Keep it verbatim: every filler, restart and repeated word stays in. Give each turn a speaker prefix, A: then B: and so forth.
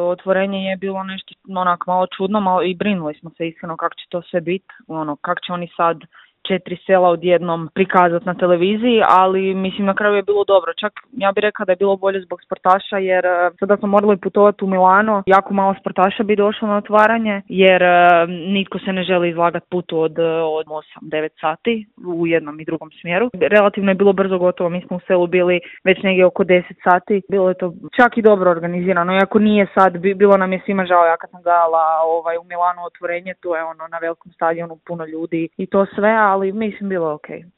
A: otvorenje je bilo nešto onak malo čudno, malo i brinuli smo se iskreno kako će to sve biti, ono, kako će oni sad četiri sela odjednom prikazati na televiziji, ali mislim na kraju je bilo dobro. Čak ja bih rekla da je bilo bolje zbog sportaša, jer sada smo morali putovati u Milano, jako malo sportaša bi došlo na otvaranje, jer nitko se ne želi izlagati putu od, od osam devet sati u jednom i drugom smjeru. Relativno je bilo brzo gotovo, mi smo u selu bili već negdje oko deset sati, bilo je to čak i dobro organizirano, iako nije sad, bilo nam je svima žao, ja kad sam gledala ovaj, u Milanu otvorenje, to je ono na velikom stadionu puno ljudi i to sve, ali mislim bilo ok.